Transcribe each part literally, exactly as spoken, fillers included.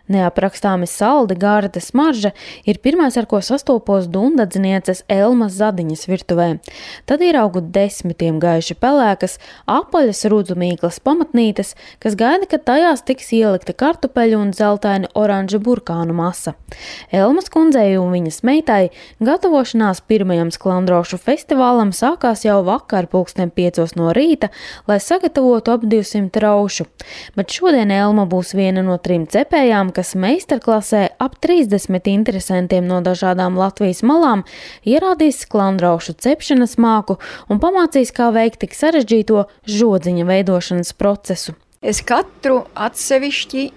Neaprakstāmi saldi, garda smarža ir pirmais, ar ko sastopos dundadznieces Elmas Zadiņas virtuvē. Tad ieraugu desmitiem gaiši pelēkas, apaļas rudzumīklas pamatnītes, kas gaida, kad tajās tiks ielikta kartupeļu un zeltaini oranža burkānu masa. Elmas kundzei un viņas meitai gatavošanās pirmajam sklandrošu festivālam sākās jau vakar pulksten piecos no rīta, lai sagatavotu ap divsimt raušu. Bet šodien Elma būs viena no trim cepējām, kas meistarklasē ap trīsdesmit interesantiem no dažādām Latvijas malām ierādīs sklandraušu cepšanas māku un pamācīs, kā veikt tik sarežģīto žodziņa veidošanas procesu. Es katru atsevišķi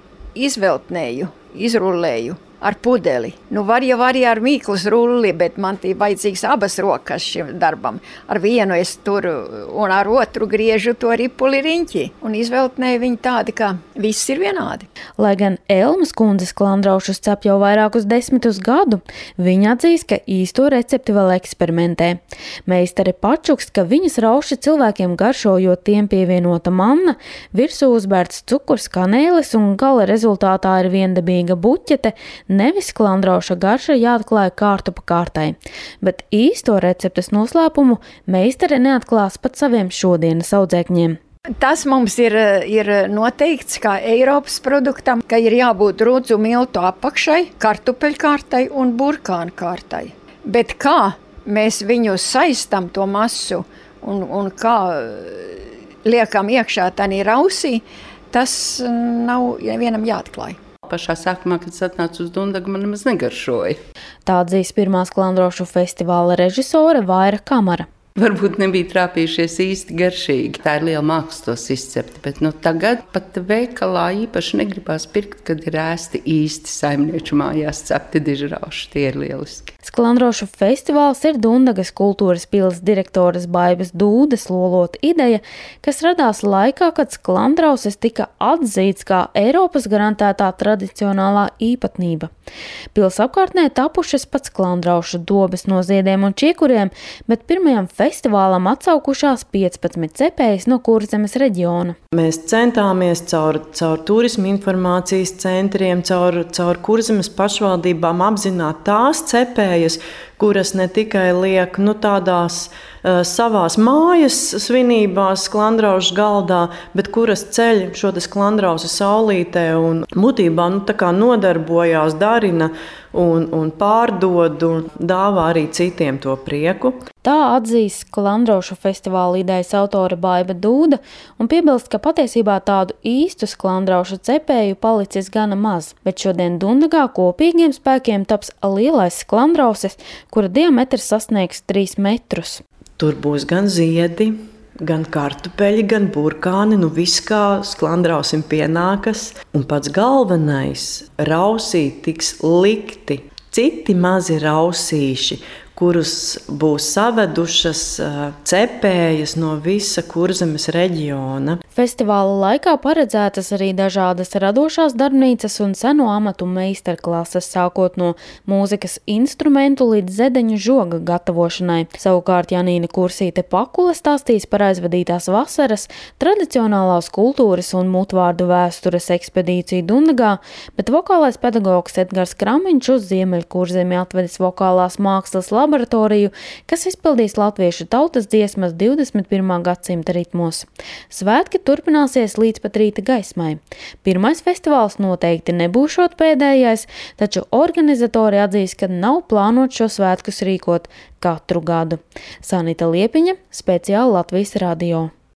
izveltnēju, izrullēju ar pudeli. Nu, var jau arī ar mīklas rulli, bet man tī vajadzīgs abas rokas šim darbam. Ar vienu es turu un ar otru griežu to ripuli riņķi un izveltnēju viņu tādi, ka viss ir vienādi. Lai gan Elmas kundze sklandraušus cep jau vairākus desmitus gadu, viņa atzīst, ka īsto recepti vēl eksperimentē. Meistare pačukst, ka viņas rauši cilvēkiem garšo, jo tiem pievienota manna, virsū uzbērts cukurs, kanēlis un gala rezultātā ir viendabīga buķete, nevis sklandrauša garša jāatklāja kārtu pa kārtai, bet īsto receptes noslēpumu meistare neatklās pat saviem šodienas audzēkņiem. Tas mums ir, ir noteikts kā Eiropas produktam, ka ir jābūt rudzu miltu apakšai, kartupeļkārtai un burkānu kārtai. Bet kā mēs viņu saistam to masu un, un kā liekam iekšā tanī rausī, tas nav vienam jāatklāj. Pašā sākumā, kad es atnācu uz Dundagu, man nemaz negaršoja. Tā atzīst pirmā sklandrošu festivāla režisore Vaira Kamara. Varbūt nebija trāpījušies īsti garšīgi. Tā ir liela māksla tos izcept, bet nu, tagad pat veikalā īpaši negribās pirkt, kad ir ēsti īsti saimnieču mājās cepti dižrauši. Tie ir lieliski. Sklandrošu festivāls ir Dundagas kultūras pils direktoras Baibas Dūdes lolota ideja, kas radās laikā, kad sklandrauses tika atzīts kā Eiropas garantētā tradicionālā īpatnība. Pils apkārtnē tapušas pat sklandraušu dobes no ziediem un čiekuriem, bet pirmajam festivālam atsaukušās piecpadsmit cepējas no Kurzemes reģiona. Mēs centāmies caur, caur turismu informācijas centriem, caur, caur Kurzemes pašvaldībām apzināt tās cepējas, kuras ne tikai liek nu, tādās uh, savās mājas svinībās sklandraušu galdā, bet kuras ceļ šo sklandrausu saulītē un būtībā nu, tā kā nodarbojās, darina un, un pārdod un dāvā arī citiem to prieku. Tā atzīst sklandraušu festivāla idejas autore Baiba Dūda un piebilst, ka patiesībā tādu īstu sklandraušu cepēju palicis gana maz, bet šodien Dundagā kopīgiem spēkiem taps lielais sklandrauses, kura diametrs sasniegs trīs metrus. Tur būs gan ziedi, gan kartupeļi, gan burkāni, nu viss kā sklandrausim pienākas. Un pats galvenais, rausī tiks likti citi mazi rausīši, kurus būs savedušas cepējas no visa Kurzemes reģiona. Festivāla laikā paredzētas arī dažādas radošās darbnīcas un seno amatu meistarklases, sākot no mūzikas instrumentu līdz zedeņu žoga gatavošanai. Savukārt Janīna Kursīte Pakule stāstīs par aizvadītās vasaras, tradicionālās kultūras un mutvārdu vēstures ekspedīciju Dundagā, bet vokālais pedagogs Edgars Kramiņš uz Ziemeļkurzemi atvedis vokālās mākslas laboratoriju, kas izpildīs latviešu tautas dziesmas divdesmit pirmā gadsimta ritmos. Svētki turpināsies līdz pat rīta gaismai. Pirmais festivāls noteikti nebūšot pēdējais, taču organizatori atzīst, ka nav plānot šo svētkus rīkot katru gadu. Sanita Liepiņa, speciāli Latvijas radio.